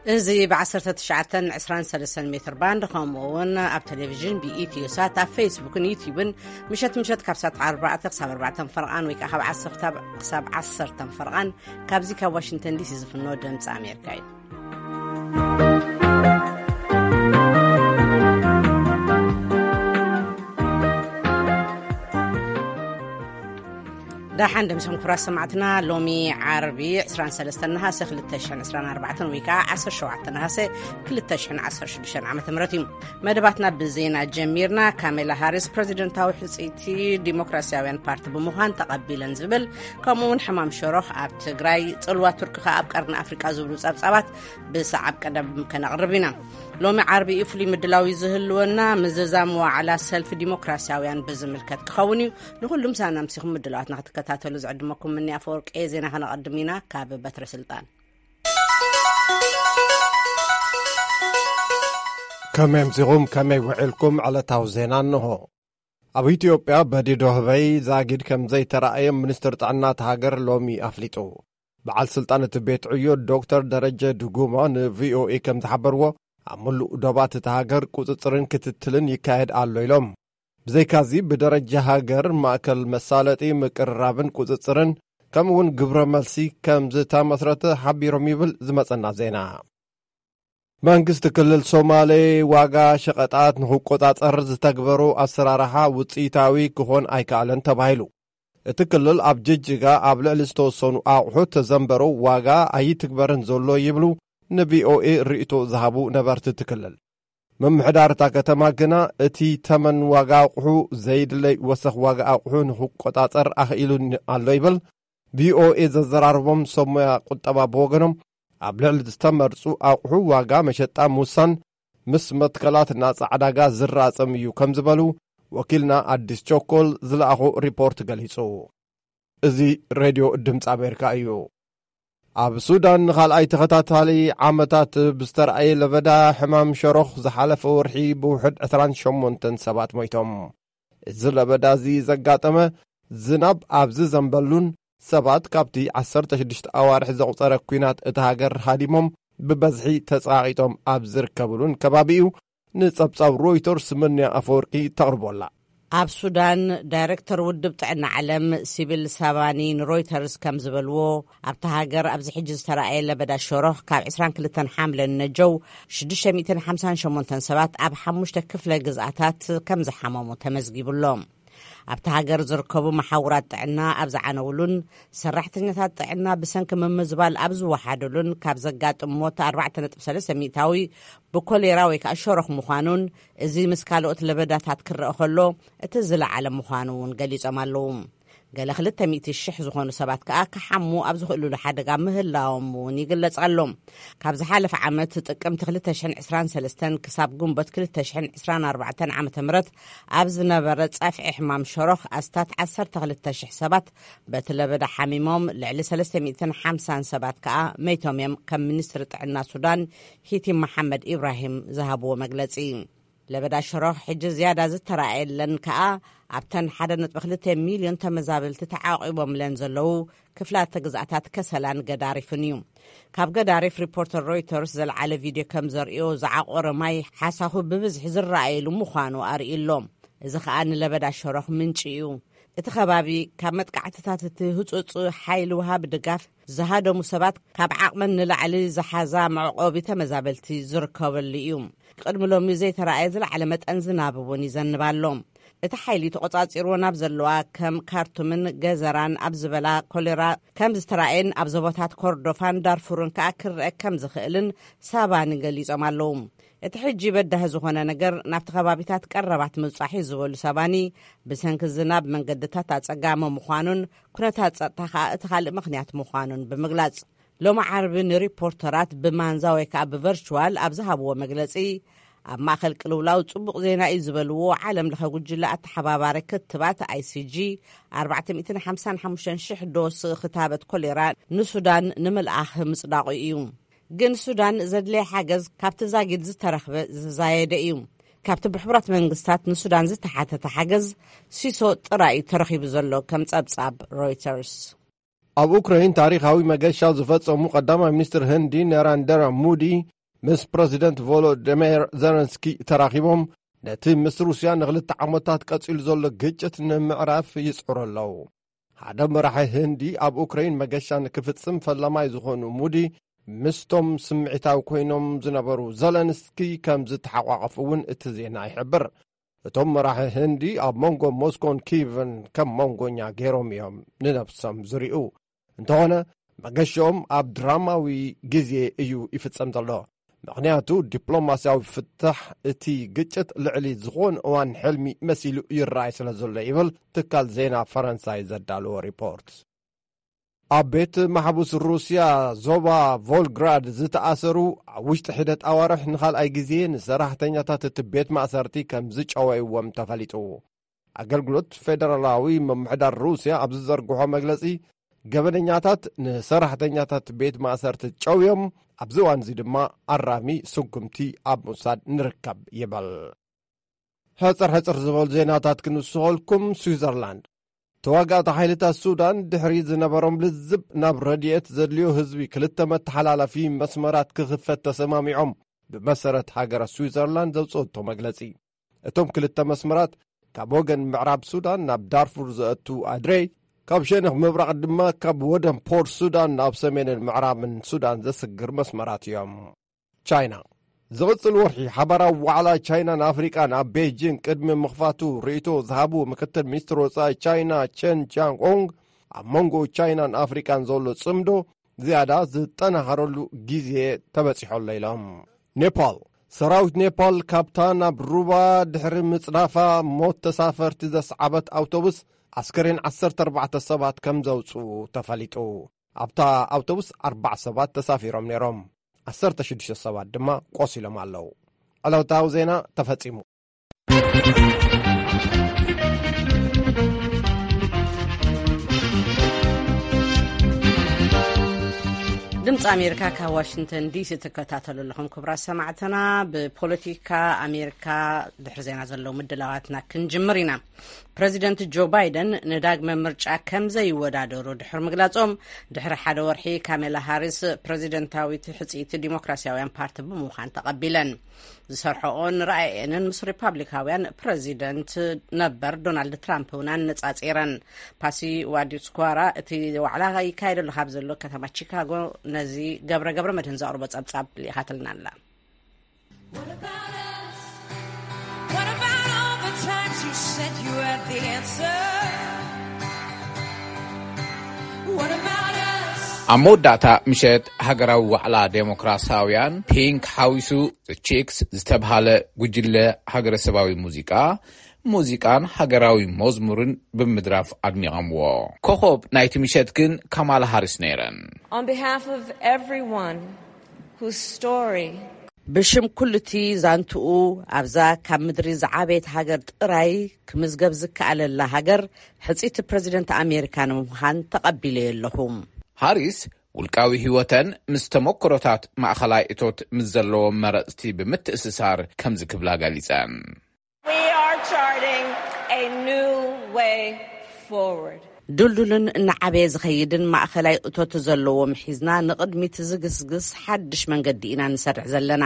እዚ ብ19 23 ሜትር ባንድ፣ ከምኡ እውን ኣብ ቴሌቪዥን ብኢትዮ ሳት፣ ኣብ ፌስቡክን ዩቲዩብን፣ ምሸት ምሸት ካብ ሰዓት ኣርባዕተ ክሳብ ኣርባዕተ ፈርቓን፣ ወይ ከዓ ካብ ዓሰርተ ክሳብ ዓሰርተ ፈርቓን፣ ካብዚ ካብ ዋሽንግተን ዲሲ ዝፍኖ ድምፂ ኣሜሪካ እዩ። ደሓን ደምሰም ክቡራት ሰማዕትና፣ ሎሚ ዓርቢ ዕስራን ሰለስተን ነሃሰ ክልተ ሽሕን ዕስራን ኣርባዕተን፣ ወይ ከዓ ዓሰርተ ሸውዓተ ነሃሰ ክልተ ሽሕን ዓሰርተ ሽዱሽተን ዓመተ ምህረት እዩ። መደባትና ብዜና ጀሚርና። ካሜላ ሃሪስ ፕረዚደንታዊ ሕጽይቲ ዲሞክራሲያውያን ፓርቲ ብምዃን ተቐቢለን ዝብል፣ ከምኡ እውን ሕማም ሸሮኽ ኣብ ትግራይ፣ ጽልዋ ቱርኪ ከኣ ኣብ ቀርኒ ኣፍሪቃ ዝብሉ ጸብጻባት ብሰዓብ ቀደም ከነቕርብ ኢና። ሎሚ ዓርቢ እዩ ፍሉይ ምድላው እዩ ዝህልወና። ምዝዛም ዋዕላ ሰልፊ ዲሞክራሲያውያን ብዝምልከት ክኸውን እዩ። ንኹሉም ሳና ምሲኹም ምድላዋትና ክትከታተሉ ዝዕድመኩም ምኒ ኣፈወርቂ። ዜና ከነቐድም ኢና ካብ በትረ ስልጣን። ከመይ ኣምሲኹም፣ ከመይ ውዒልኩም? ዕለታዊ ዜና እንሆ። ኣብ ኢትዮጵያ በዲዶ ህበይ ዛጊድ ከም ዘይተራእየ ሚኒስትር ጥዕና እታ ሃገር ሎሚ ኣፍሊጡ። በዓል ስልጣን እቲ ቤት ዕዮ ዶክተር ደረጀ ድጉማ ንቪኦኤ ከም ዝሓበርዎ፣ ኣብ ምሉእ ዶባት እታ ሃገር ቁጽጽርን ክትትልን ይካየድ ኣሎ ኢሎም። ብዘይካዚ ብደረጃ ሃገር ማእከል መሳለጢ ምቅርራብን ቁጽጽርን ከምኡ እውን ግብረ መልሲ ከም ዝተመስረተ ሓቢሮም ይብል ዝመጸና ዜና። መንግስቲ ክልል ሶማሌ ዋጋ ሸቐጣት ንክቆጻጸር ዝተግበሩ ኣሰራርሓ ውጽኢታዊ ክኾን ኣይከኣለን ተባሂሉ። እቲ ክልል ኣብ ጅጅጋ ኣብ ልዕሊ ዝተወሰኑ ኣቑሑት ተዘንበሩ ዋጋ ኣይትግበርን ዘሎ ይብሉ ንቪኦኤ ርእይቶ ዝሃቡ ነበርቲ እቲ ክልል። ምምሕዳር እታ ከተማ ግና እቲ ተመን ዋጋ ኣቑሑ ዘይድለይ ወሰኽ ዋጋ ኣቑሑ ንክቆጻጸር ኣኽኢሉኒ ኣሎ ይብል። ቪኦኤ ዘዘራርቦም ሰብ ሞያ ቁጠባ ብወገኖም፣ ኣብ ልዕሊ ዝተመርጹ ኣቑሑ ዋጋ መሸጣ ምውሳን ምስ መትከላት ናጻ ዕዳጋ ዝራጸም እዩ ከም ዝበሉ ወኪልና ኣዲስ ቸኮል ዝለኣኾ ሪፖርት ገሊጹ። እዚ ሬድዮ ድምፂ ኣሜሪካ እዩ። ኣብ ሱዳን ንኻልኣይ ተኸታታሊ ዓመታት ብዝተረኣየ ለበዳ ሕማም ሸሮኽ ዝሓለፈ ወርሒ ብውሕድ ዕስራን ሸሞንተን ሰባት ሞይቶም። እዚ ለበዳ እዚ ዘጋጠመ ዝናብ ኣብ ዝዘንበሉን ሰባት ካብቲ ዓሰርተ ሽዱሽተ ኣዋርሕ ዘቑጸረ ኲናት እታ ሃገር ሃዲሞም ብበዝሒ ተጸቓቒጦም ኣብ ዝርከብሉን ከባቢ እዩ። ንጸብጻብ ሮይተርስ ምንያ ኣፈወርቂ ተቕርቦ ኣላ። ኣብ ሱዳን፣ ዳይሬክተር ውድብ ጥዕና ዓለም ሲቪል ሳባኒ ንሮይተርስ ከም ዝበልዎ፣ ኣብታ ሃገር ኣብዚ ሕጂ ዝተረኣየ ለበዳ ሸሮኽ ካብ ዕስራን ክልተን ሓምለ ንነጀው ሽዱሽተ ሚእትን ሓምሳን ሸሞንተን ሰባት ኣብ ሓሙሽተ ክፍለ ግዝኣታት ከም ዝሓመሙ ተመዝጊቡ ኣሎ። ኣብታ ሃገር ዝርከቡ መሓውራት ጥዕና ኣብ ዝዓነውሉን ሰራሕተኛታት ጥዕና ብሰንኪ ምምዝባል ኣብ ዝወሓደሉን፣ ካብ ዘጋጥም ሞት ኣርባዕተ ነጥቢ ሰለስተ ሚእታዊ ብኮሌራ ወይ ከዓ ሸሮኽ ምዃኑን፣ እዚ ምስ ካልኦት ለበዳታት ክረአ ከሎ እቲ ዝለዓለ ምዃኑ እውን ገሊጾም ኣለዉ። ገለ ክልተ ሚእቲ ሽሕ ዝኾኑ ሰባት ከኣ ክሓሙ ኣብ ዝኽእሉሉ ሓደጋ ምህላዎም እውን ይግለጽ ኣሎ። ካብ ዝሓለፈ ዓመት ጥቅምቲ ክልተ ሽሕን ዕስራን ሰለስተን ክሳብ ግንቦት ክልተ ሽሕን ዕስራን ኣርባዕተን ዓመተ ምህረት ኣብ ዝነበረ ጸፍዒ ሕማም ሸሮኽ ኣስታት ዓሰርተ ክልተ ሽሕ ሰባት በቲ ለበዳ ሓሚሞም፣ ልዕሊ ሰለስተ ሚእትን ሓምሳን ሰባት ከኣ መይቶም እዮም፣ ከም ሚኒስትሪ ጥዕና ሱዳን ሂቲ መሓመድ ኢብራሂም ዝሃብዎ መግለጺ። ለበዳ ሸሮኽ ሕጂ ዝያዳ ዝተራእየለን ከኣ ኣብተን ሓደ ነጥቢ ክልተ ሚልዮን ተመዛበልቲ ተዓቂቦምለን ዘለዉ ክፍላተ ግዝኣታት ከሰላን ገዳሪፍን እዩ። ካብ ገዳሪፍ ሪፖርተር ሮይተርስ ዘልዓለ ቪድዮ ከም ዘርእዮ፣ ዝዓቆረ ማይ ሓሳኹ ብብዝሒ ዝረኣየሉ ምዃኑ ኣርእዩ ኣሎ። እዚ ከኣ ንለበዳ ሸሮኽ ምንጪ እዩ። እቲ ከባቢ ካብ መጥቃዕትታት እቲ ህጹጽ ሓይሊ ውሃቢ ድጋፍ ዝሃደሙ ሰባት ካብ ዓቕመን ንላዕሊ ዝሓዛ መዕቆቢ ተመዛበልቲ ዝርከበሉ እዩ። ቅድሚ ሎሚ ዘይተራእየ ዝለዓለ መጠን ዝናብ እውን ይዘንብ ኣሎ። እቲ ሓይሊ ተቖጻጺርዎ ናብ ዘለዋ ከም ካርቱምን ገዘራን ኣብ ዝበላ ኮሌራ ከም ዝተራእየን ኣብ ዞባታት ኮርዶፋን ዳርፉርን ከኣ ክረአ ከም ዝኽእልን ሳባኒ ገሊጾም ኣለዉ። እቲ ሕጂ በዳሂ ዝኾነ ነገር ናብቲ ከባቢታት ቀረባት ምብጻሕ እዩ ዝበሉ ሳባኒ፣ ብሰንኪ ዝናብ መንገድታት ኣጸጋሚ ምዃኑን ኩነታት ጸጥታ ከኣ እቲ ካልእ ምኽንያት ምዃኑን ብምግላጽ፣ ሎሚ ዓርቢ ንሪፖርተራት ብማንዛ ወይ ከኣ ብቨርቹዋል ኣብ ዝሃብዎ መግለጺ፣ ኣብ ማእከል ቅልውላው ጽቡቕ ዜና እዩ ዝበልዎ ዓለም ለኸ ጉጅለ ኣተሓባባሪ ክትባት ኣይሲጂ፣ ኣርባዕተ ሚእትን ሓምሳን ሓሙሽተን ሽሕ ዶስ ክታበት ኮሌራ ንሱዳን ንምልኣኽ ምጽዳቑ እዩ። ግን ሱዳን ዘድለየ ሓገዝ ካብቲ ዛጊድ ዝተረኽበ ዝዛየደ እዩ። ካብቲ ብሕቡራት መንግስታት ንሱዳን ዝተሓተተ ሓገዝ ሲሶ ጥራይ እዩ ተረኺቡ ዘሎ፣ ከም ጸብጻብ ሮይተርስ። ኣብ ኡክራይን ታሪኻዊ መገሻ ዝፈጸሙ ቀዳማይ ሚኒስትር ህንዲ ናራንደራ ሙዲ ምስ ፕረዚደንት ቮሎዲሚር ዘለንስኪ ተራኺቦም፣ ነቲ ምስ ሩስያ ንኽልተ ዓመታት ቀጺሉ ዘሎ ግጭት ንምዕራፍ ይጽዕሩ ኣለዉ። ሓደ መራሒ ህንዲ ኣብ ኡክራይን መገሻ ንክፍጽም ፈላማይ ዝኾኑ ሙዲ፣ ምስቶም ስምዒታዊ ኮይኖም ዝነበሩ ዘለንስኪ ከም ዝተሓቋቐፉ እውን እቲ ዜና ይሕብር። እቶም መራሒ ህንዲ ኣብ መንጎ ሞስኮን ኪቭን ከም መንጎኛ ገይሮም እዮም ንነብሶም ዝሪኡ። እንተኾነ፣ መገሽኦም ኣብ ድራማዊ ግዜ እዩ ይፍጸም ዘሎ። ምኽንያቱ፣ ዲፕሎማስያዊ ፍታሕ እቲ ግጭት ልዕሊ ዝኾነ እዋን ሕልሚ መሲሉ ይረኣይ ስለ ዘሎ ይብል ትካል ዜና ፈረንሳይ ዘዳለዎ ሪፖርት። ኣብ ቤት ማሕቡስ ሩስያ ዞባ ቮልግራድ ዝተኣሰሩ፣ ኣብ ውሽጢ ሒደት ኣዋርሕ ንኻልኣይ ግዜ ንሰራሕተኛታት እቲ ቤት ማእሰርቲ ከም ዝጨወይዎም ተፈሊጡ። ኣገልግሎት ፌደራላዊ ምምሕዳር ሩስያ ኣብ ዝዘርግሖ መግለጺ፣ ገበነኛታት ንሰራሕተኛታት ቤት ማእሰርቲ ጨውዮም፣ ኣብዚ እዋን እዚ ድማ ኣራሚ ስጉምቲ ኣብ ምውሳድ ንርከብ ይበል። ሕጽር ሕጽር ዝበሉ ዜናታት ክንስኸልኩም። ስዊዘርላንድ፣ ተዋጋእቲ ሓይልታት ሱዳን ድሕሪ ዝነበሮም ልዝብ ናብ ረድኤት ዘድልዮ ህዝቢ ክልተ መተሓላለፊ መስመራት ክኽፈት ተሰማሚዖም፣ ብመሰረት ሃገረ ስዊዘርላንድ ዘውፅኦቶ መግለፂ። እቶም ክልተ መስመራት ካብ ወገን ምዕራብ ሱዳን ናብ ዳርፉር ዘእቱ ኣድሬ፣ ካብ ሸነኽ ምብራቕ ድማ ካብ ወደን ፖርት ሱዳን ናብ ሰሜንን ምዕራብን ሱዳን ዘስግር መስመራት እዮም። ቻይና፣ ዝቕጽል ወርሒ ሓባራዊ ዋዕላ ቻይናን ኣፍሪቃን ኣብ ቤጂን ቅድሚ ምኽፋቱ ርእይቶ ዝሃቡ ምክትል ሚኒስትር ወጻኢ ቻይና ቸን ቻንግ ኦንግ፣ ኣብ መንጎ ቻይናን ኣፍሪቃን ዘሎ ጽምዶ ዝያዳ ዝጠናኸረሉ ግዜ ተበጺሖ ኣሎ ኢሎም። ኔፓል፣ ሰራዊት ኔፓል ካብታ ናብ ሩባ ድሕሪ ምጽናፋ ሞት ተሳፈርቲ ዘስዓበት ኣውቶቡስ ኣስከሬን ዓሰርተ ኣርባዕተ ሰባት ከም ዘውጽኡ ተፈሊጡ። ኣብታ ኣውቶቡስ ኣርባዓ ሰባት ተሳፊሮም ነይሮም። ዓሰርተ ሽዱሽተ ሰባት ድማ ቆሲሎም ኣለዉ። ዕለታዊ ዜና ተፈጺሙ። ድምፂ ኣሜሪካ ካብ ዋሽንግተን ዲሲ ትከታተሉ ኣለኹም። ክቡራት ሰማዕትና፣ ብፖለቲካ ኣሜሪካ ድሕሪ ዜና ዘለዉ ምድላዋትና ክንጅምር ኢና። ፕረዚደንት ጆ ባይደን ንዳግመ ምርጫ ከም ዘይወዳደሩ ድሕሪ ምግላጾም፣ ድሕሪ ሓደ ወርሒ ካሜላ ሃሪስ ፕረዚደንታዊት ሕጽይቲ ዲሞክራሲያውያን ፓርቲ ብምዃን ተቐቢለን። ዝሰርሐኦን ራእየንን ምስ ሪፓብሊካውያን ፕረዚደንት ነበር ዶናልድ ትራምፕ እውን ኣነጻጺረን። ፓሲ ዋዲስኳራ እቲ ዋዕላ ይካየደሉ ካብ ዘሎ ከተማ ቺካጎ ነዚ ገብረ ገብረ መድህን ዘቕርቦ ጸብጻብ ልኢኻትልና ኣላ። What about all the times you said you had the answer? What about us? ኣብ መወዳእታ ምሸት ሃገራዊ ዋዕላ ዴሞክራሲያውያን፣ ፒንክ ሓዊሱ ቺክስ ዝተብሃለ ጉጅለ ሃገረሰባዊ ሙዚቃ፣ ሙዚቃን ሃገራዊ መዝሙርን ብምድራፍ ኣድሚቐምዎ። ኮኸብ ናይቲ ምሸት ግን ካማላ ሃሪስ ነይረን። On behalf of everyone whose story ብሽም ኩሉቲ ዛንትኡ ኣብዛ ካብ ምድሪ ዝዓበየት ሃገር ጥራይ ክምዝገብ ዝከኣለላ ሃገር ሕጽይቲ ፕረዚደንት ኣሜሪካ ንምዃን ተቐቢለዮ ኣለኹ። ሃሪስ ውልቃዊ ህይወተን ምስ ተመክሮታት ማእኸላይ እቶት ምስ ዘለዎም መረጽቲ ብምትእስሳር ከምዚ ክብላ ገሊጸን። We are charting a new way forward. ድልዱልን እናዓበየ ዝኸይድን ማእኸላይ እቶት ዘለዎም ሒዝና ንቕድሚት ዝግስግስ ሓድሽ መንገዲ ኢና ንሰርሕ ዘለና።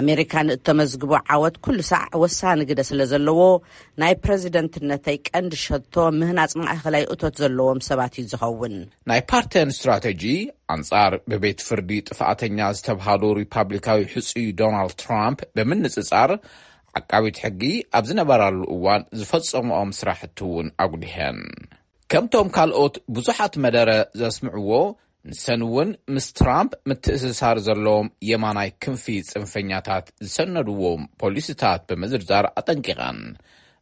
ኣሜሪካ ንእተመዝግቦ ዓወት ኩሉ ሳዕ ወሳኒ ግደ ስለ ዘለዎ፣ ናይ ፕረዚደንትነተይ ቀንዲ ሸቶ ምህናጽ ማእኸላይ እቶት ዘለዎም ሰባት እዩ ዝኸውን። ናይ ፓርተን ስትራተጂ ኣንጻር ብቤት ፍርዲ ጥፍኣተኛ ዝተብሃሉ ሪፓብሊካዊ ሕጹይ ዶናልድ ትራምፕ ብምንጽጻር፣ ዓቃቢት ሕጊ ኣብ ዝነበራሉ እዋን ዝፈጸምኦም ስራሕቲ እውን ኣጉሊሐን። ከምቶም ካልኦት ብዙሓት መደረ ዘስምዕዎ፣ ንሰን እውን ምስ ትራምፕ ምትእስሳር ዘለዎም የማናይ ክንፊ ጽንፈኛታት ዝሰነድዎም ፖሊሲታት ብምዝርዛር ኣጠንቂቐን።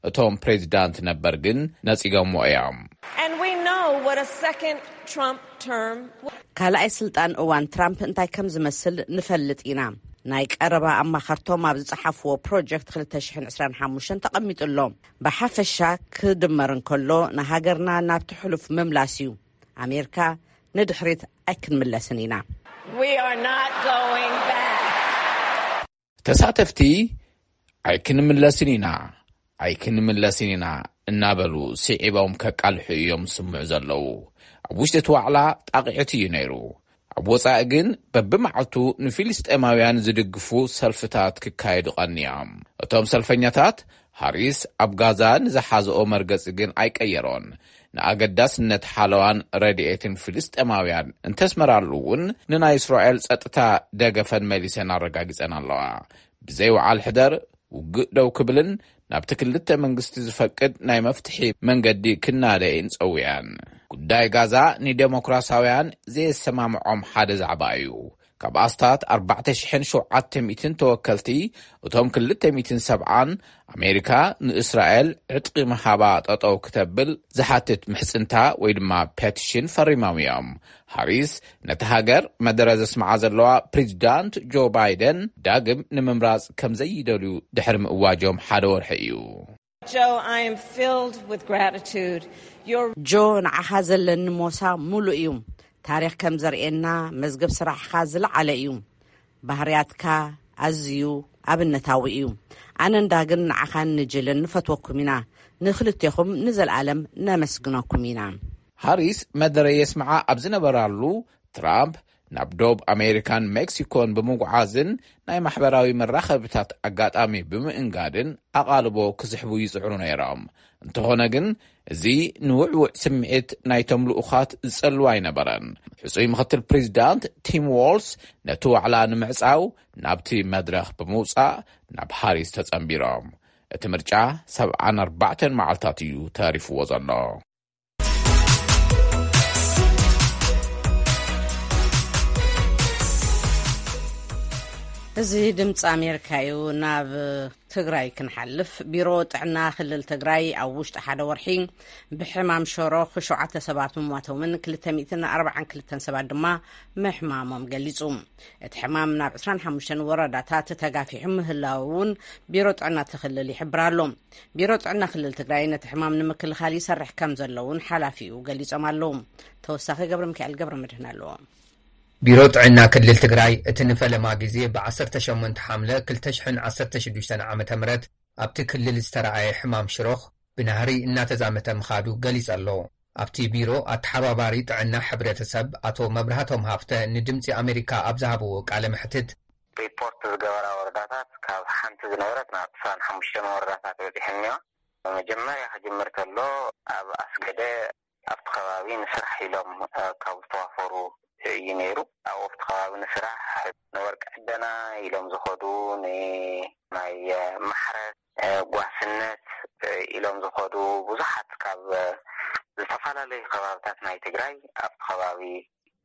እቶም ፕሬዚዳንት ነበር ግን ነጺጎምዎ እዮም። And we know what a second Trump term ካልኣይ ስልጣን እዋን ትራምፕ እንታይ ከም ዝመስል ንፈልጥ ኢና። ናይ ቀረባ ኣማኸርቶም ኣብ ዝጸሓፍዎ ፕሮጀክት ክልተ ሽሕን ዕስራን ሓሙሽተን ተቐሚጡ ኣሎ። ብሓፈሻ ክድመር እንከሎ፣ ንሃገርና ናብቲ ሕሉፍ ምምላስ እዩ። ኣሜሪካ ንድሕሪት ኣይክንምለስን ኢና። We are not going back. ተሳተፍቲ፣ ኣይክንምለስን ኢና፣ ኣይክንምለስን ኢና፣ እናበሉ ስዒቦም ከቃልሑ እዮም ዝስምዑ ዘለዉ። ኣብ ውሽጢ እቲ ዋዕላ ጣቕዒት እዩ ነይሩ። ኣብ ወጻኢ ግን በብመዓልቱ ንፊልስጤማውያን ዝድግፉ ሰልፍታት ክካየዱ ቀንዮም። እቶም ሰልፈኛታት፣ ሃሪስ ኣብ ጋዛ ንዝሓዝኦ መርገጺ ግን ኣይቀየሮን። ንኣገዳስነት ሓለዋን ረድኤትን ፍልስጤማውያን እንተስመራሉ እውን፣ ንናይ እስራኤል ጸጥታ ደገፈን መሊሰን ኣረጋጊጸን ኣለዋ። ብዘይ ውዓል ሕደር ውግእ ደው ክብልን ናብቲ ክልተ መንግስቲ ዝፈቅድ ናይ መፍትሒ መንገዲ ክናደይን ጸውያን። ጉዳይ ጋዛ ንደሞክራሲያውያን ዘየሰማምዖም ሓደ ዛዕባ እዩ። ካብ ኣስታት ኣርባዕተ ሽሕን ሸውዓተ ሚእትን ተወከልቲ፣ እቶም ክልተ ሚእትን ሰብዓን፣ ኣሜሪካ ንእስራኤል ዕጥቂ ምሃባ ጠጠው ክተብል ዝሓትት ምሕጽንታ ወይ ድማ ፔቲሽን ፈሪሞም እዮም። ሃሪስ ነቲ ሃገር መደረ ዘስምዓ ዘለዋ፣ ፕሬዚዳንት ጆ ባይደን ዳግም ንምምራጽ ከም ዘይደልዩ ድሕሪ ምእዋጆም ሓደ ወርሒ እዩ። Joe, I am filled with gratitude. Your ጆ፣ ንዓኻ ዘለኒ ሞሳ ሙሉእ እዩ። ታሪኽ ከም ዘርእየና፣ መዝገብ ስራሕኻ ዝለዓለ እዩ። ባህርያትካ ኣዝዩ ኣብነታዊ እዩ። ኣነን ዳግን ንዓኻን ንጅልን ንፈትወኩም ኢና። ንኽልቴኹም ንዘለኣለም ነመስግነኩም ኢና። ሃሪስ መደረ የስምዓ ኣብ ዝነበራሉ፣ ትራምፕ ናብ ዶብ ኣሜሪካን ሜክሲኮን ብምጉዓዝን ናይ ማሕበራዊ መራኸብታት ኣጋጣሚ ብምእንጋድን ኣቓልቦ ክስሕቡ ይጽዕሩ ነይሮም። እንተኾነ ግን፣ እዚ ንውዕውዕ ስምዒት ናይቶም ልኡኻት ዝጸልው ኣይነበረን። ሕጹይ ምኽትል ፕሬዚዳንት ቲም ዎልስ ነቲ ዋዕላ ንምዕጻው ናብቲ መድረኽ ብምውጻእ ናብ ሃሪስ ተጸንቢሮም። እቲ ምርጫ ሰብዓን ኣርባዕተን መዓልታት እዩ ተሪፍዎ ዘሎ። እዚ ድምፂ ኣሜሪካ እዩ። ናብ ትግራይ ክንሓልፍ፣ ቢሮ ጥዕና ክልል ትግራይ ኣብ ውሽጢ ሓደ ወርሒ ብሕማም ሸሮኽ ሸውዓተ ሰባት ምሟቶምን ክልተ ሚእትን ኣርባዓን ክልተን ሰባት ድማ ምሕማሞም ገሊጹ። እቲ ሕማም ናብ ዕስራን ሓሙሽተን ወረዳታት ተጋፊሑ ምህላዉ እውን ቢሮ ጥዕና እቲ ክልል ይሕብር ኣሎ። ቢሮ ጥዕና ክልል ትግራይ ነቲ ሕማም ንምክልኻል ይሰርሕ ከም ዘሎ እውን ሓላፊኡ ገሊጾም ኣለዉ። ተወሳኺ ገብረ ሚካኤል ገብረ መድህን ኣለዎ። ቢሮ ጥዕና ክልል ትግራይ እቲ ንፈለማ ግዜ ብ ዓሰርተ ሸሞንተ ሓምለ ክልተ ሽሕን ዓሰርተ ሽዱሽተን ዓመተ ምህረት ኣብቲ ክልል ዝተረኣየ ሕማም ሽሮኽ ብናህሪ እናተዛመተ ምኻዱ ገሊጹ ኣሎ። ኣብቲ ቢሮ ኣተሓባባሪ ጥዕና ሕብረተሰብ ኣቶ መብራህቶም ሃፍተ ንድምፂ ኣሜሪካ ኣብ ዝሃብዎ ቃለ መሕትት፣ ሪፖርት ዝገበራ ወረዳታት ካብ ሓንቲ ዝነበረት ናብ ዕስራን ሓሙሽተን ወረዳታት በፂሐን እኒዋ። መጀመርያ ክጅምር ከሎ ኣብ ኣስገደ ኣብቲ ከባቢ ንስራሕ ኢሎም፣ እ፣ ካብ ዝተዋፈሩ እዩ ነይሩ። ኣብኡ ኣብቲ ከባቢ ንስራሕ፣ ንወርቂ ዕደና ኢሎም ዝኸዱ፣ ንናይ፣ እ፣ ማሕረስ፣ እ፣ ጓስነት፣ እ፣ ኢሎም ዝኸዱ ብዙሓት ካብ፣ እ፣ ዝተፈላለዩ ከባብታት ናይ ትግራይ ኣብቲ ከባቢ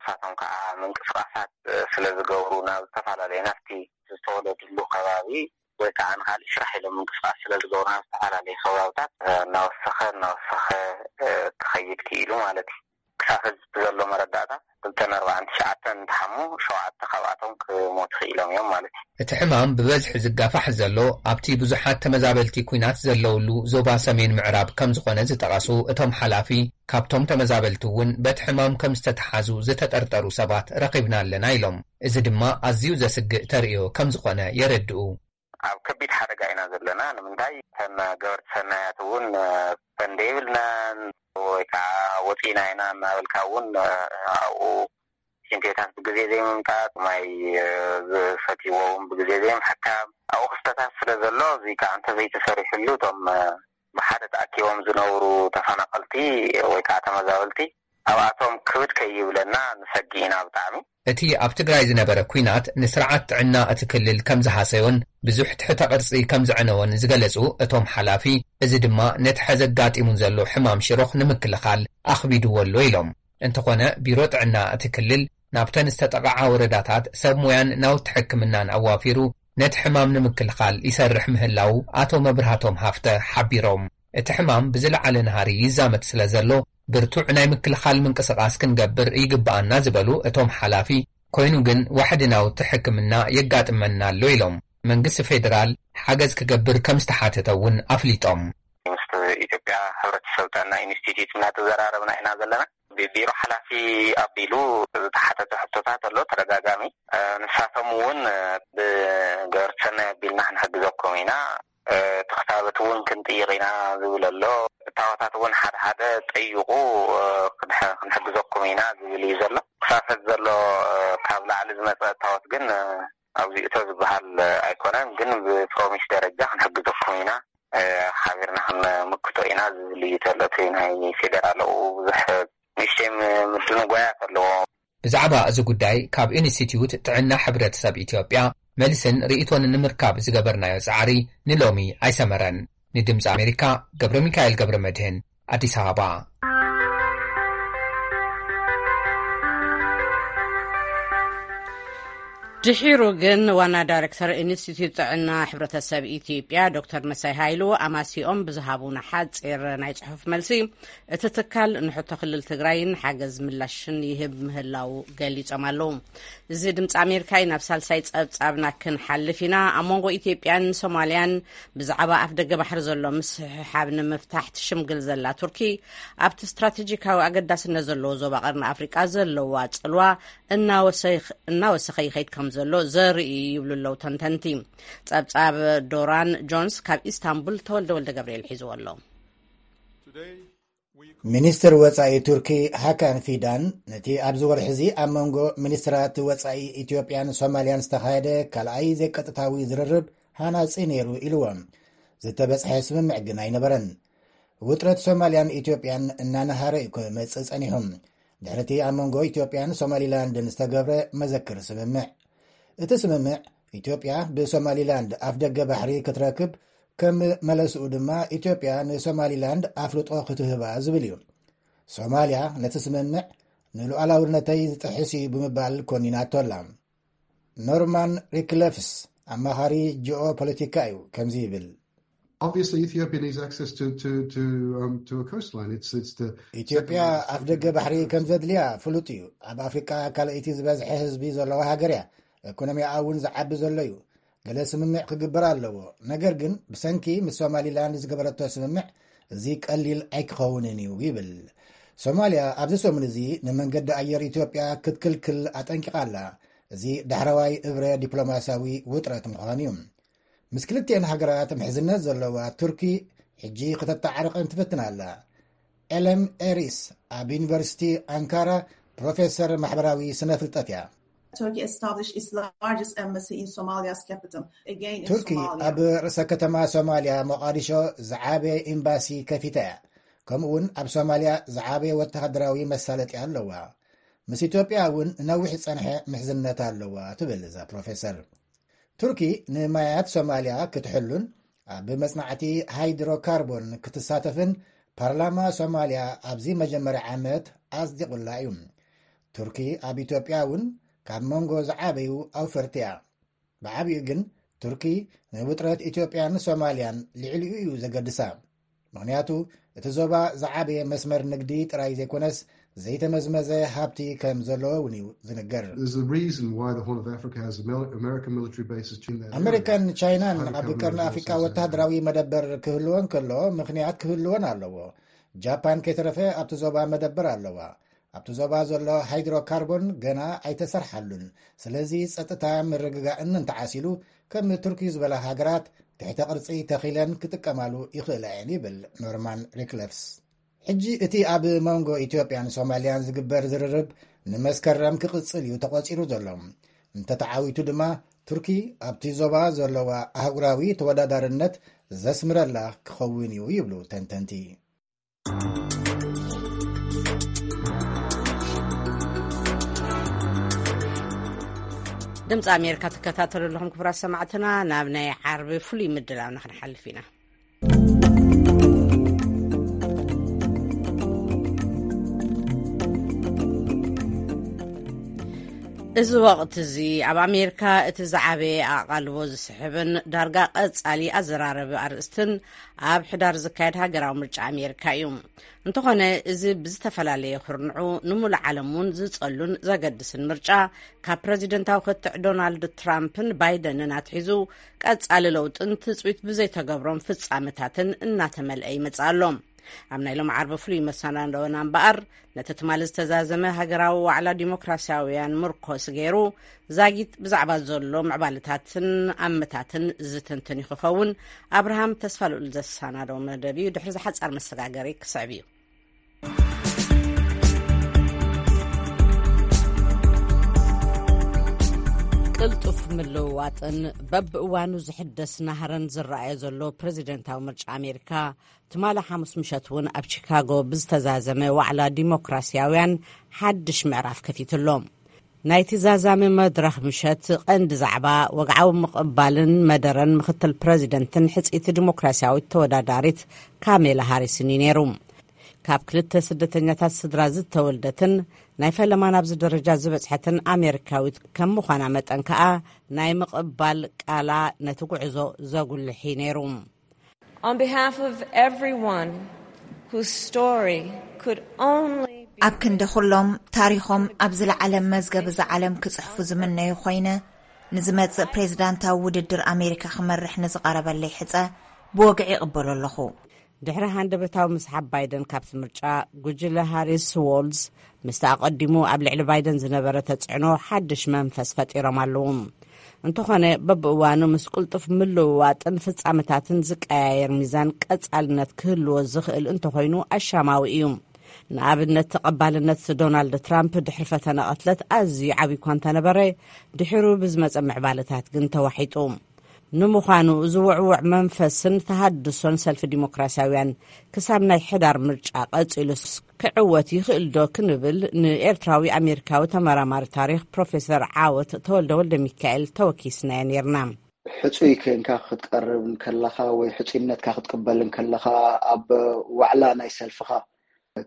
ንሳቶም ከዓ ምንቅስቃሳት፣ እ፣ ስለ ዝገብሩ ናብ ዝተፈላለዩ ናብቲ ዝተወለድሉ ከባቢ ወይ ከዓ ንካሊእ ስራሕ ኢሎም ምንቅስቃስ ስለ ዝገብሩ ናብ ዝተፈላለዩ ከባብታት፣ እ፣ እናወሰኸ እናወሰኸ፣ እ፣ ክኸይድ ክኢሉ ማለት እዩ። ክሳብ ሕዚ ዘሎ መረዳእታ ክልተን ኣርባዕን ትሽዓተን እንትሓሙ ሸውዓተ ካብኣቶም ክሞቱ ክኢሎም እዮም ማለት እዩ። እቲ ሕማም ብበዝሒ ዝጋፋሕ ዘሎ ኣብቲ ብዙሓት ተመዛበልቲ ኲናት ዘለውሉ ዞባ ሰሜን ምዕራብ ከም ዝኾነ ዝጠቐሱ እቶም ሓላፊ፣ ካብቶም ተመዛበልቲ እውን በቲ ሕማም ከም ዝተተሓዙ ዝተጠርጠሩ ሰባት ረኺብና ኣለና ኢሎም። እዚ ድማ ኣዝዩ ዘስግእ ተርእዮ ከም ዝኾነ የረድኡ። ኣብ ከቢድ ሓደጋ ኢና ዘለና። ንምንታይ? እተን ገበርቲ ሰናያት እውን፣ እ፣ ፈንዲ የብልናን ወይ ከዓ ወፂና ኢና እናበልካ እውን፣ እ፣ ኣብኡ ሽንት ቤታት ብግዜ ዘይምምጣጥ፣ ማይ፣ እ፣ ዝሰትይዎ እውን ብግዜ ዘይምሕካም፣ ኣብኡ ክስተታት ስለ ዘሎ፣ እዚ ከዓ እንተዘይተሰሪሕሉ እቶም፣ እ፣ ብሓደ ተኣኪቦም ዝነብሩ ተፈናቐልቲ ወይ ከዓ ተመዛበልቲ ኣብኣቶም ክብድ ከይብለና ንሰጊ ኢና ብጣዕሚ። እቲ ኣብ ትግራይ ዝነበረ ኲናት ንስርዓት ጥዕና እቲ ክልል ከም ዝሃሰዮን ብዙሕ ትሕተ ቅርጺ ከም ዘዕነወን ዝገለጹ እቶም ሓላፊ፣ እዚ ድማ ነቲ ሐዚ ኣጋጢሙ ዘሎ ሕማም ሽሮኽ ንምክልኻል ኣኽቢድዎ ኣሎ ኢሎም። እንተኾነ ቢሮ ጥዕና እቲ ክልል ናብተን ዝተጠቕዓ ወረዳታት ሰብ ሞያን ናውቲ ሕክምናን ኣዋፊሩ ነቲ ሕማም ንምክልኻል ይሰርሕ ምህላዉ ኣቶ መብርሃቶም ሃፍተ ሓቢሮም። እቲ ሕማም ብዝለዓለ ናህሪ ይዛመት ስለ ዘሎ፣ ብርቱዕ ናይ ምክልኻል ምንቅስቓስ ክንገብር ይግብኣና ዝበሉ እቶም ሓላፊ፣ ኮይኑ ግን ዋሕዲ ናውቲ ሕክምና የጋጥመና ኣሎ ኢሎም። መንግስቲ ፌደራል ሓገዝ ክገብር ከም ዝተሓተተ እውን ኣፍሊጦም። ምስ ኢትዮጵያ ሕብረተሰብ ጥዕና ኢንስቲትዩት እናተዘራረብና ኢና ዘለና። ብቢሮ ሓላፊ ኣቢሉ ዝተሓተተ ሕቶታት ኣሎ ተደጋጋሚ። እ፣ ንሳቶም እውን፣ እ፣ ብገበርቲ ሰናይ ኣቢልና ክንሕግዘኩም ኢና፣ እ፣ ተኽታበት እውን ክንጥይቕ ኢና ዝብል ኣሎ። እቲ እታወታት እውን ሓደ ሓደ ጠይቑ፣ እ፣ ክንሕ-፣ ክንሕግዘኩም ኢና ዝብል እዩ ዘሎ። ክሳፈት ዘሎ፣ እ፣ ካብ ላዕሊ ዝመጸ እታወት ግን፣ እ፣ ኣብዚ እቶ ዝበሃል፣ እ፣ ኣይኮነን፣ ግን ብፕሮሚስ ደረጃ ክንሕግዘኩም ኢና፣ እ፣ ሓቢርና ክንምክቶ ኢና ዝብል እዩ ዘሎ። እቲ ናይ ፌደራል ኣብኡ ብዙሕ ንእሽተይ ም-፣ ምድንጓያት ኣለዎ። ብዛዕባ እዚ ጉዳይ ካብ ኢንስቲትዩት ጥዕና ሕብረተሰብ ኢትዮጵያ መልስን ርእይቶን ንምርካብ ዝገበርናዮ ጻዕሪ ንሎሚ ኣይሰመረን። ንድምጺ ኣሜሪካ ገብረ ሚካኤል ገብረ መድህን፣ ኣዲስ ኣበባ። ድሒሩ ግን ዋና ዳይሬክተር ኢንስቲትዩት ጥዕና ሕብረተሰብ ኢትዮጵያ ዶክተር መሳይ ሃይሉ ኣማሲኦም ብዝሃቡና ሓጺር ናይ ጽሑፍ መልሲ፣ እቲ ትካል ንሕቶ ክልል ትግራይን ሓገዝ ምላሽን ይህብ ምህላው ገሊጾም ኣለዉ። እዚ ድምፂ ኣሜሪካ እዩ። ናብ ሳልሳይ ጸብጻብና ክንሓልፍ ኢና። ኣብ መንጎ ኢትዮጵያን ሶማልያን ብዛዕባ ኣፍ ደገ ባሕሪ ዘሎ ምስሕሓብ ንምፍታሕ ትሽምግል ዘላ ቱርኪ፣ ኣብቲ ስትራቴጂካዊ ኣገዳስነት ዘለዎ ዞባ ቀርኒ ኣፍሪቃ ዘለዋ ጽልዋ እናወሰኽ-፣ እናወሰኸ ይኸይድ ከም ዘሎ ዘርኢ እዩ ይብሉ ኣለዉ ተንተንቲ። ጸብጻብ ዶራን ጆንስ ካብ ኢስታንቡል ተወልደ ወልደ ገብርኤል ሒዝዎ ኣሎ። ሚኒስትር ወጻኢ ቱርኪ ሃካን ፊዳን፣ ነቲ ኣብዚ ወርሒ እዚ ኣብ መንጎ ሚኒስትራት ወጻኢ ኢትዮጵያን ሶማልያን ዝተኻየደ ካልኣይ ዘይቀጥታዊ ዝርርብ ሃናጺ ነይሩ ኢልዎም። ዝተበጽሐ ስምምዕ ግን ኣይነበረን። ውጥረት ሶማልያን ኢትዮጵያን እናነሃረ እዩ ክመጽእ ጸኒሑ፣ ድሕሪ እቲ ኣብ መንጎ ኢትዮጵያን ሶማሊላንድን ዝተገብረ መዘክር ስምምዕ። እቲ ስምምዕ፣ ኢትዮጵያ ብሶማሊላንድ ኣፍደገ ባሕሪ ክትረክብ፣ ከም መለስኡ ድማ ኢትዮጵያ ንሶማሊላንድ ኣፍልጦ ክትህባ ዝብል እዩ። ሶማልያ ነቲ ስምምዕ ንሉዓላውነተይ ዝጥሕስ እዩ ብምባል ኮኒናቶ ኣላ። ኖርማን ሪክለፍስ ኣማኻሪ ጂኦ ፖለቲካ እዩ፣ ከምዚ ይብል። Obviously, Ethiopia needs access to, to, to, um, to a coastline. It's, it's the ኢትዮጵያ ኣፍደገ ባሕሪ ከም ዘድልያ ፍሉጥ እዩ። ኣብ ኣፍሪቃ ካልኣይቲ ዝበዝሐ ህዝቢ ዘለዋ ሃገር እያ። ኢኮኖሚኣ እውን ዝዓቢ ዘሎ እዩ። ገለ ስምምዕ ክግበር ኣለዎ። ነገር ግን ብሰንኪ ምስ ሶማሊላንድ ዝገበረቶ ስምምዕ፣ እዚ ቀሊል ኣይክኸውንን እዩ ይብል። ሶማልያ ኣብዚ ሰሙን እዚ ንመንገዲ ኣየር ኢትዮጵያ ክትክልክል ኣጠንቂቓ ኣላ። እዚ ዳሕረዋይ እብረ ዲፕሎማሲያዊ ውጥረት ምዃኑ እዩ። ምስ ክልቲኤን ሃገራት ምሕዝነት ዘለዋ ቱርኪ ሕጂ ክተተዓርቐን ትፍትን ኣላ። ኤለም ኤሪስ ኣብ ዩኒቨርሲቲ ኣንካራ ፕሮፌሰር ማሕበራዊ ስነ ፍልጠት እያ። Turkey established its largest embassy in Somalia's capital. Again, in ቱርኪ Somalia. ኣብ ርእሰ ከተማ ሶማልያ ሞቃዲሾ ዝዓበየ ኤምባሲ ከፊታ እያ። ከምኡ እውን ኣብ ሶማልያ ዝዓበየ ወተሃደራዊ መሳለጥያ ኣለዋ። ምስ ኢትዮጵያ እውን ነዊሕ ዝጸንሐ ምሕዝነት ኣለዋ ትብል እዛ ፕሮፌሰር። ቱርኪ ንማያት ሶማልያ ክትሕሉን ኣብ መጽናዕቲ ሃይድሮካርቦን ክትሳተፍን ፓርላማ ሶማልያ ኣብዚ መጀመርያ ዓመት ኣጽዲቑላ እዩ። ቱርኪ ኣብ ኢትዮጵያ እውን ካብ መንጎ ዝዓበዩ ኣውፈርቲ እያ። ብዓቢኡ ግን ቱርኪ ንውጥረት ኢትዮጵያን ሶማልያን ልዕሊኡ እዩ ዘገድሳ። ምኽንያቱ እቲ ዞባ ዝዓበየ መስመር ንግዲ ጥራይ ዘይኮነስ ዘይተመዝመዘ ሃብቲ ከም ዘለዎ እውን እዩ ዝንገር። There's a reason why the Horn of Africa has Amer-, American military bases in that area. ኣመሪካን ቻይናን ኣብ ቀርኒ ኣፍሪቃ ወተሃደራዊ መደበር ክህልወን ከሎ ምኽንያት ክህልወን ኣለዎ። ጃፓን ከይተረፈ ኣብቲ ዞባ መደበር ኣለዋ። ኣብቲ ዞባ ዘሎ ሃይድሮካርቦን ገና ኣይተሰርሓሉን። ስለዚ ጸጥታ ምርግጋእን እንተዓሲሉ ከም ቱርኪ ዝበላ ሃገራት ትሕተ ቅርጺ ተኺለን ክጥቀማሉ ይኽእላ እየን ይብል ኖርማን ሪክለፍስ። ሕጂ እቲ ኣብ መንጎ ኢትዮጵያን ሶማልያን ዝግበር ዝርርብ ንመስከረም ክቕጽል እዩ ተቖጺሩ ዘሎ። እንተተዓዊቱ ድማ ቱርኪ ኣብቲ ዞባ ዘለዋ ኣህጉራዊ ተወዳዳርነት ዘስምረላ ክኸውን እዩ ይብሉ ተንተንቲ። ድምፂ ኣሜሪካ ትከታተሉ ኣለኹም ክቡራት ሰማዕትና። ናብ ናይ ዓርቢ ፍሉይ ምድላውና ክንሓልፍ ኢና። እዚ ወቕቲ እዚ ኣብ ኣሜሪካ እቲ ዝዓበየ ኣቓልቦ ዝስሕብን ዳርጋ ቀጻሊ ኣዘራረቢ ኣርእስትን ኣብ ሕዳር ዝካየድ ሃገራዊ ምርጫ ኣሜሪካ እዩ። እንተኾነ፣ እዚ ብዝተፈላለየ ኩርንዑ ንሙሉእ ዓለም እውን ዝጸሉን ዘገድስን ምርጫ፣ ካብ ፕረዚደንታዊ ክትዕ ዶናልድ ትራምፕን ባይደንን ኣትሒዙ ቀጻሊ ለውጥን ትጽቢት ብዘይተገብሮም ፍጻመታትን እናተመልአ ይመጽእ ኣሎ። ኣብ ናይ ሎም ዓርቢ ፍሉይ መሰናዶና እምበኣር፣ ነቲ ትማሊ ዝተዛዘመ ሃገራዊ ዋዕላ ዲሞክራሲያውያን ምርኮስ ገይሩ፣ ዛጊት ብዛዕባ ዘሎ ምዕባለታትን ኣመታትን ዝትንትን ክኸውን ኣብርሃም ተስፋ ልኡል ዘሰናደው መደብ እዩ። ድሕሪ ዝሓጻር መሰጋገሪ ክስዕብ እዩ። ቅልጡፍ ምልውዋጥን በብእዋኑ ዝሕደስ ናህርን ዝረኣዮ ዘሎ ፕሬዚደንታዊ ምርጫ ኣሜሪካ፣ ትማሊ ሓሙስ ምሸት እውን ኣብ ቺካጎ ብዝተዛዘመ ዋዕላ ዲሞክራሲያውያን ሓድሽ ምዕራፍ ከፊቱ ኣሎ። ናይቲ ዛዛሚ መድረኽ ምሸት ቀንዲ ዛዕባ ወግዓዊ ምቕባልን መደረን ምክትል ፕረዚደንትን ሕጽይቲ ዲሞክራሲያዊት ተወዳዳሪት ካሜላ ሃሪስን እዩ ነይሩ። ካብ ክልተ ስደተኛታት ስድራ ዝተወልደትን ናይ ፈለማ ናብዚ ደረጃ ዝበጽሐትን ኣሜሪካዊት ከም ምዃና መጠን ከኣ፣ ናይ ምቕባል ቃላ ነቲ ጉዕዞ ዘጉልሕ እዩ ነይሩ። On behalf of everyone whose story could only be ኣብ ክንዲ ኩሎም ታሪኾም ኣብ ዝለዓለ መዝገብ እዛ ዓለም ክጽሕፉ ዝምነዩ ኮይነ፣ ንዝመጽእ ፕሬዝዳንታዊ ውድድር ኣሜሪካ ክመርሕ ንዝቐረበለይ ሕጸ ብወግዒ ይቕበሎ ኣለኹ። ድሕሪ ሃንደበታዊ ምስሓብ ባይደን ካብቲ ምርጫ፣ ጉጅለ ሃሪስ ዎልዝ ምስቲ ኣቐዲሙ ኣብ ልዕሊ ባይደን ዝነበረ ተጽዕኖ ሓድሽ መንፈስ ፈጢሮም ኣለዉ። እንተኾነ፣ በብእዋኑ ምስ ቅልጡፍ ምልውዋጥን ፍጻመታትን ዝቀያየር ሚዛን ቀጻልነት ክህልዎ ዝኽእል እንተኾይኑ ኣሻማዊ እዩ። ንኣብነት፣ ተቐባልነት ዶናልድ ትራምፕ ድሕሪ ፈተነ ቅትለት ኣዝዩ ዓብዪ እኳ እንተነበረ፣ ድሕሩ ብዝመጸ ምዕባለታት ግን ተዋሒጡ። ንምዃኑ፣ እዚ ውዕውዕ መንፈስን ተሃድሶን ሰልፊ ዲሞክራሲያውያን ክሳብ ናይ ሕዳር ምርጫ ቀጺሉስ ክዕወት ይኽእል ዶ ክንብል ንኤርትራዊ ኣሜሪካዊ ተመራማሪ ታሪኽ ፕሮፌሰር ዓወት ተወልደ ወልደ ሚካኤል ተወኪስናዮ ነይርና። ሕጹይ ኮይንካ ክትቀርብ እንከለኻ ወይ ሕጹይነትካ ክትቅበል እንከለኻ፣ ኣብ ዋዕላ ናይ ሰልፍኻ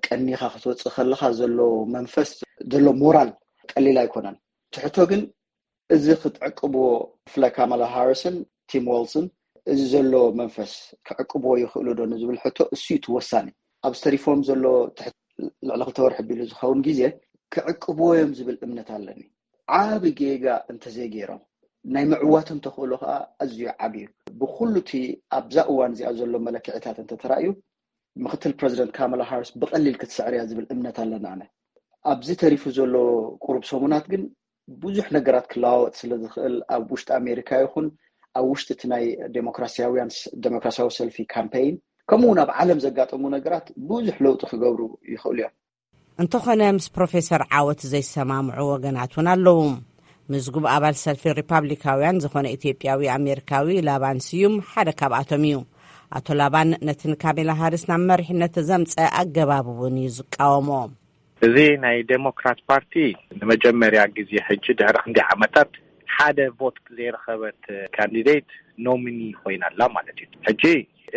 ቀኒኻ ክትወጽእ ከለኻ ዘሎ መንፈስ፣ ዘሎ ሞራል ቀሊል ኣይኮነን። እቲ ሕቶ ግን፣ እዚ ክትዕቅብዎ፣ ብፍላይ ካማላ ሃሪስን ቲም ዋልዝን፣ እዚ ዘሎ መንፈስ ክዕቅብዎ ይኽእሉ ዶ ንዝብል ሕቶ፣ እሱ እዩ እቲ ወሳኒ። ኣብ ዝተሪፎም ዘሎ ትሕቲ ልዕሊ ክልተ ወርሒ ቢሉ ዝኸውን ግዜ ክዕቅብዎ እዮም ዝብል እምነት ኣለኒ። ዓቢ ጌጋ እንተዘይገይሮም፣ ናይ ምዕዋቶም ተኽእሎ ከኣ ኣዝዩ ዓቢ እዩ። ብኹሉ እቲ ኣብዛ እዋን እዚኣ ዘሎ መለክዒታት እንተተራእዩ፣ ምክትል ፕረዚደንት ካማላ ሃሪስ ብቐሊል ክትስዕር እያ ዝብል እምነት ኣለና። ኣነ ኣብዚ ተሪፉ ዘሎ ቁሩብ ሰሙናት ግን ብዙሕ ነገራት ክለዋወጥ ስለ ዝኽእል፣ ኣብ ውሽጢ ኣሜሪካ ይኹን ኣብ ውሽጢ እቲ ናይ ዴሞክራሲያውያን ስ-፣ ዴሞክራሲያዊ ሰልፊ ካምፔይን፣ ከምኡ እውን ኣብ ዓለም ዘጋጠሙ ነገራት ብዙሕ ለውጢ ክገብሩ ይኽእሉ እዮም። እንተኾነ፣ ምስ ፕሮፌሰር ዓወት ዘይሰማምዑ ወገናት እውን ኣለዉ። ምዝጉብ ኣባል ሰልፊ ሪፓብሊካውያን ዝኾነ ኢትዮጵያዊ ኣሜሪካዊ ላባን ስዩም ሓደ ካብኣቶም እዩ። ኣቶ ላባን ነቲ ንካሜላ ሃሪስ ናብ መሪሕነት ዘምጸ ኣገባብ እውን እዩ ዝቃወሞ። እዚ ናይ ዴሞክራት ፓርቲ ንመጀመርያ ግዜ ሕጂ ድሕሪ ክንደይ ዓመታት ሓደ ቮት ዘይረኸበት ካንዲዴት ኖሚኒ ኮይና ኣላ ማለት እዩ። ሕጂ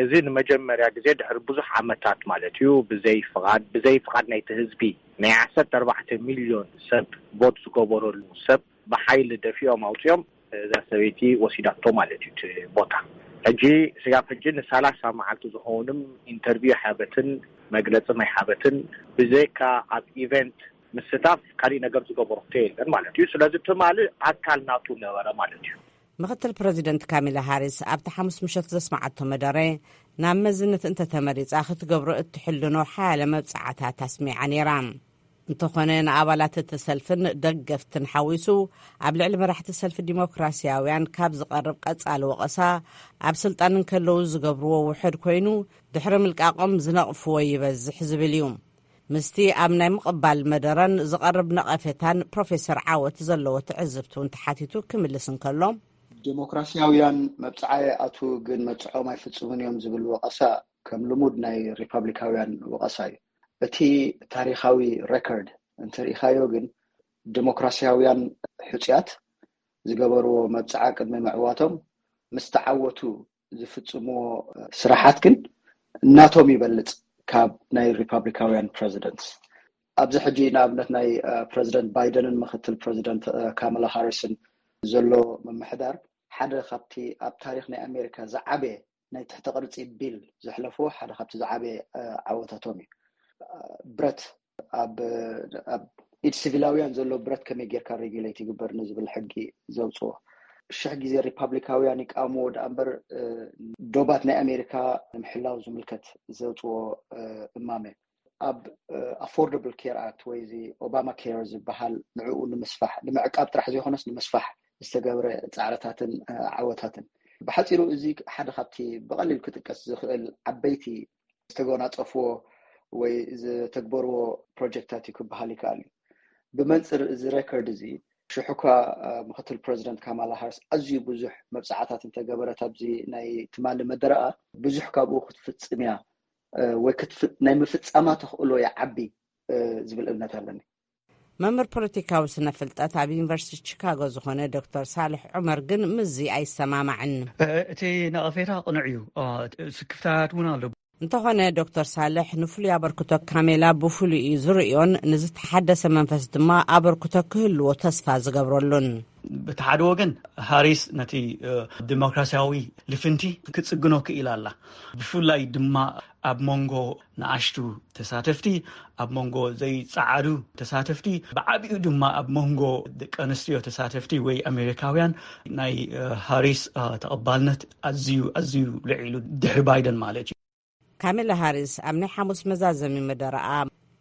እዚ ንመጀመርያ ግዜ ድሕሪ ብዙሕ ዓመታት ማለት እዩ፣ ብዘይ ፍቓድ፣ ብዘይ ፍቓድ ናይቲ ህዝቢ፣ ናይ ዓሰርተ ኣርባዕተ ሚልዮን ሰብ ቮት ዝገበረሉ ሰብ ብሓይሊ ደፊኦም ኣውፂኦም እዛ ሰበይቲ ወሲዳቶ ማለት እዩ እቲ ቦታ። ሕጂ ስጋብ ሕጂ ንሰላሳ መዓልቲ ዝኾኑም ኢንተርቪው ሓበትን መግለፂ ማይ ሓበትን ብዘይካ ኣብ ኢቨንት ምስታፍ ካሊእ ነገር ዝገበሮ ሕቶ የለን ማለት እዩ። ስለዚ ትማሊ ኣካል ናቱ ነበረ ማለት እዩ። ምክትል ፕረዚደንት ካሚላ ሃሪስ ኣብቲ ሓሙስ ምሸት ዘስማዓቶ መደረ፣ ናብ መዝነት እንተተመሪጻ ክትገብሮ እትሕልኖ ሓያለ መብጻዓታት ኣስሚዓ ነይራ። እንተኾነ፣ ንኣባላት እቲ ሰልፍን ደገፍትን ሓዊሱ ኣብ ልዕሊ መራሕቲ ሰልፊ ዲሞክራሲያውያን ካብ ዝቐርብ ቀጻሊ ወቐሳ፣ ኣብ ስልጣን እንከለዉ ዝገብርዎ ውሑድ ኮይኑ፣ ድሕሪ ምልቃቖም ዝነቕፍዎ ይበዝሕ ዝብል እዩ። ምስቲ ኣብ ናይ ምቕባል መደረን ዝቐርብ ነቐፌታን ፕሮፌሰር ዓወት ዘለዎ ትዕዝብቲ እውን ተሓቲቱ ክምልስ እንከሎ፣ ዴሞክራሲያውያን መብጽዓ ይኣትዉ ግን መብጽዖም ኣይፍጽሙን እዮም ዝብል ወቐሳ ከም ልሙድ ናይ ሪፓብሊካውያን ወቐሳ እዩ። እቲ ታሪኻዊ ሬከርድ እንተሪኢኻዮ ግን፣ ዴሞክራሲያውያን ሕጹያት ዝገበርዎ መብጽዓ ቅድሚ ምዕዋቶም ምስ ተዓወቱ ዝፍጽምዎ ስራሓት ግን ናቶም ይበልጽ ካብ ናይ ሪፓብሊካውያን ፕረዚደንትስ። ኣብዚ ሕጂ ንኣብነት ናይ ፕረዚደንት ባይደንን ምክትል ፕረዚደንት ካማላ ሃሪስን ዘሎ ምምሕዳር ሓደ ካብቲ ኣብ ታሪኽ ናይ ኣሜሪካ ዝዓበየ ናይ ትሕተ ቅርጺ ቢል ዘሕለፍዎ ሓደ ካብቲ ዝዓበየ ዓወታቶም እዩ። ብረት ኣብ ኣብ ኢድ ሲቪላውያን ዘሎ ብረት ከመይ ጌርካ ሬጉሌት ይግበር ንዝብል ሕጊ ዘውፅዎ። ሽሕ ግዜ ሪፓብሊካውያን ይቃወምዎ ደኣ እምበር፣ እ፣ ዶባት ናይ ኣሜሪካ ንምሕላው ዝምልከት ዘውፅዎ፣ እ፣ እማመ ኣብ፣ እ፣ ኣፎርደብል ኬር ኣክት ወይ እዚ ኦባማ ኬር ዝበሃል ንዕኡ ንምስፋሕ፣ ንምዕቃብ ጥራሕ ዘይኮነስ ንምስፋሕ ዝተገብረ ፃዕርታትን፣ እ፣ ዓወታትን። ብሓፂሩ እዚ ሓደ ካብቲ ብቐሊል ክጥቀስ ዝኽእል ዓበይቲ ዝተጎናፀፍዎ ወይ ዝተግበርዎ ፕሮጀክታት እዩ ክበሃል ይከኣል እዩ። ብመንፅር እዚ ሬከርድ እዚ ሽሕኳ፣ እ፣ ምክትል ፕረዚደንት ካማላ ሃርስ ኣዝዩ ብዙሕ መብፅዓታት እንተገበረት ኣብዚ ናይ ትማሊ መደረኣ ብዙሕ ካብኡ ክትፍፅም እያ፣ እ፣ ወይ ክትፍ-፣ ናይ ምፍፃማ ተኽእሎ ይዓቢ፣ እ፣ ዝብል እምነት ኣለኒ። መምህር ፖለቲካዊ ስነ ፍልጠት ኣብ ዩኒቨርሲቲ ቺካጎ ዝኾነ ዶክተር ሳልሕ ዑመር ግን ምስዚ ኣይሰማማዕን። እ፣ እቲ ነቐፌታ ቅኑዕ እዩ። እ፣ ስክፍታት እውን ኣሎ። እንተኾነ ዶክተር ሳልሕ ንፍሉይ ኣበርክቶ ካሜላ ብፍሉይ እዩ ዝርእዮን ንዝተሓደሰ መንፈስ ድማ ኣበርክቶ ክህልዎ ተስፋ ዝገብረሉን። በቲ ሓደ ወገን ሃሪስ ነቲ፣ እ፣ ዲሞክራሲያዊ ልፍንቲ ክጽግኖ ክኢላ ኣላ። ብፍላይ ድማ ኣብ መንጎ ንኣሽቱ ተሳተፍቲ፣ ኣብ መንጎ ዘይጸዓዱ ተሳተፍቲ፣ ብዓቢኡ ድማ ኣብ መንጎ ደቂ ኣንስትዮ ተሳተፍቲ ወይ ኣሜሪካውያን ናይ፣ እ፣ ሃሪስ፣ እ፣ ተቐባልነት ኣዝዩ፣ ኣዝዩ ልዒሉ ድሕሪ ባይደን ማለት እዩ። ካሜላ ሃሪስ ኣብ ናይ ሓሙስ መዛዘሚ መደረኣ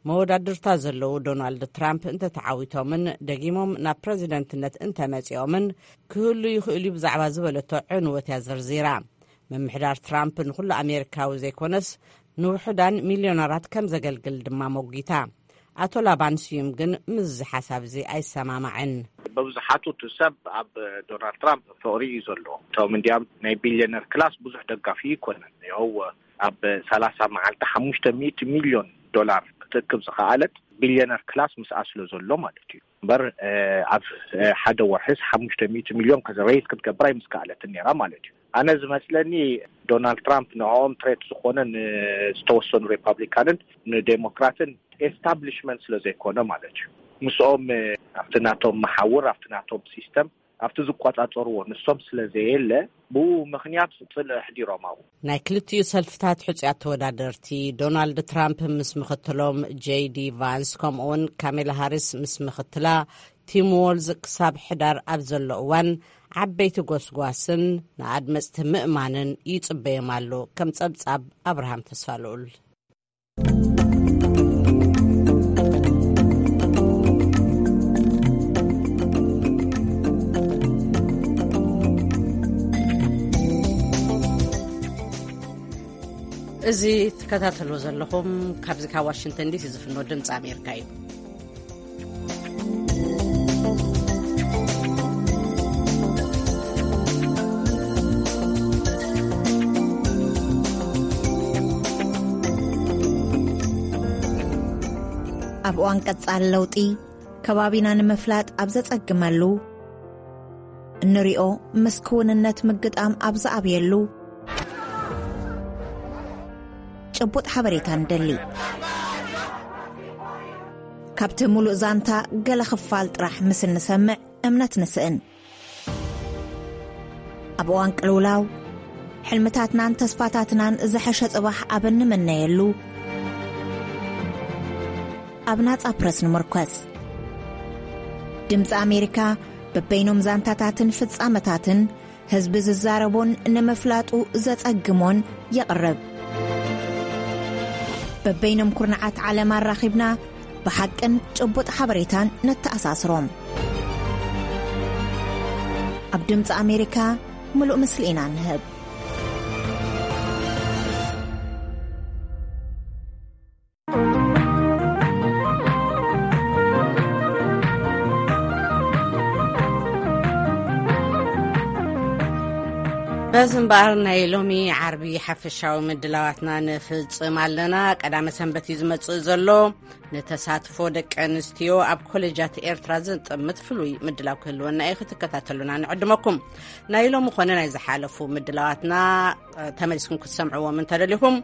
መወዳድርታ ዘለዉ ዶናልድ ትራምፕ እንተተዓዊቶምን ደጊሞም ናብ ፕረዚደንትነት እንተመጺኦምን ክህሉ ይኽእል እዩ ብዛዕባ ዝበለቶ ዕንወት እያ ዘርዚራ። ምምሕዳር ትራምፕ ንኹሉ ኣሜሪካዊ ዘይኮነስ ንውሑዳን ሚልዮነራት ከም ዘገልግል ድማ ሞጒታ። ኣቶ ላባን ስዩም ግን ምስዚ ሓሳብ እዚ ኣይሰማማዕን። በብዝሓቱ እቲ ሰብ ኣብ ዶናልድ ትራምፕ ፍቕሪ እዩ ዘለዎ። እቶም እንዲያም ናይ ቢልዮነር ክላስ ብዙሕ ደጋፊ ይኮነን። ይኸው ኣብ ሰላሳ መዓልቲ ሓሙሽተ ሚእቲ ሚልዮን ዶላር ክትእክብ ዝኸኣለት ቢልዮነር ክላስ ምስኣ ስለ ዘሎ ማለት እዩ። እምበር፣ እ፣ ኣብ፣ እ፣ ሓደ ወርሕስ ሓሙሽተ ሚእቲ ሚልዮን ከ-፣ ሬይዝ ክትገብር ኣይምስከኣለትን ነይራ ማለት እዩ። ኣነ ዝመስለኒ ዶናልድ ትራምፕ ንዕኦም ትሬት ዝኾነ ንዝተወሰኑ ሪፓብሊካንን ንዴሞክራትን ኤስታብሊሽመንት ስለ ዘይኮነ ማለት እዩ። ምስኦም፣ እ፣ ኣብቲ ናቶም መሓውር፣ ኣብቲ ናቶም ሲስተም፣ ኣብቲ ዝቆጻጸርዎ ንሶም ስለ ዘየለ፣ ብኡ ምኽንያት ጽልኢ ኣሕዲሮም ኣብኡ። ናይ ክልቲኡ ሰልፍታት ሕጹያት ተወዳደርቲ ዶናልድ ትራምፕ ምስ ምኽትሎም ጄይ ዲ ቫንስ ከምኡውን ካሜላ ሃሪስ ምስ ምኽትላ ቲም ዎልዝ ክሳብ ሕዳር ኣብ ዘሎ እዋን ዓበይቲ ጎስጓስን ንኣድመጽቲ ምእማንን ይጽበዮም ኣሎ። ከም ጸብጻብ ኣብርሃም ተስፋልኡል። እዚ ትከታተልዎ ዘለኹም ካብዚ ካብ ዋሽንግተን ዲሲ ዝፍኖ ድምፂ ኣሜሪካ እዩ። ኣብ እዋን ቀጻሊ ለውጢ፣ ከባቢና ንምፍላጥ ኣብ ዘጸግመሉ፣ እንሪኦ ምስ ክውንነት ምግጣም ኣብ ዝኣብየሉ፣ ጭቡጥ ሓበሬታ ንደሊ። ካብቲ ሙሉእ ዛንታ ገለ ክፋል ጥራሕ ምስ እንሰምዕ እምነት ንስእን። ኣብ እዋን ቅልውላው፣ ሕልምታትናን ተስፋታትናን ዝሐሸ ጽባሕ ኣብ እንምነየሉ፣ ኣብ ናጻ ፕረስ ንምርኮስ። ድምጺ ኣሜሪካ በበይኖም ዛንታታትን ፍጻመታትን ህዝቢ ዝዛረቦን ንምፍላጡ ዘጸግሞን የቕርብ። በበይኖም ኩርናዓት ዓለም ኣራኺብና ብሓቅን ጭቡጥ ሓበሬታን ነተኣሳስሮም። ኣብ ድምፂ ኣሜሪካ ምሉእ ምስሊ ኢና ንህብ። በዚ እምበኣር ናይ ሎሚ ዓርቢ ሓፈሻዊ ምድላዋትና ንፍጽም ኣለና። ቀዳመ ሰንበት እዩ ዝመጽእ ዘሎ። ንተሳትፎ ደቂ ኣንስትዮ ኣብ ኮሌጃት ኤርትራ ዝጥምት ፍሉይ ምድላው ክህልወና እዩ። ክትከታተሉና ንዕድመኩም። ናይ ሎሚ ኮነ ናይ ዝሓለፉ ምድላዋትና፣ እ፣ ተመሊስኩም ክትሰምዕዎም እንተደሊኹም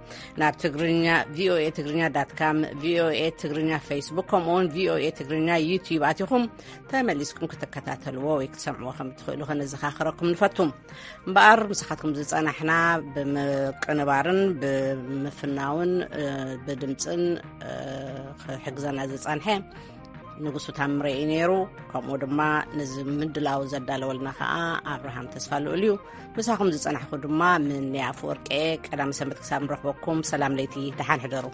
ናብ ትግርኛ፣ ቪ ኦ ኤ ትግርኛ ዳት ካም፣ ቪ ኦ ኤ ትግርኛ ፌስቡክ፣ ከምኡውን ቪ ኦ ኤ ትግርኛ ዩቲዩብ ኣቲኹም ተመሊስኩም ክትከታተልዎ ወይ ክትሰምዕዎ ከም እትኽእሉ ከነዘኻኽረኩም ንፈቱ። እምበኣር ምሳኻትኩም ዝጸናሕና ብምቅንባርን ብምፍናውን፣ እ፣ ብድምጽን፣ እ፣ ክሕግዘና ዝጸንሐ ንጉሱ ታምረ እዩ ነይሩ። ከምኡ ድማ ነዚ ምድላው ዘዳለወልና ከዓ ኣብርሃም ተስፋ ልኡል እዩ። ምሳኹም ዝጸናሕኩ ድማ ምንያ ኣፈወርቂ እየ። ቀዳም ሰንበት ክሳብ ንረኽበኩም፣ ሰላም ለይቲ፣ ደሓን ሕደሩ።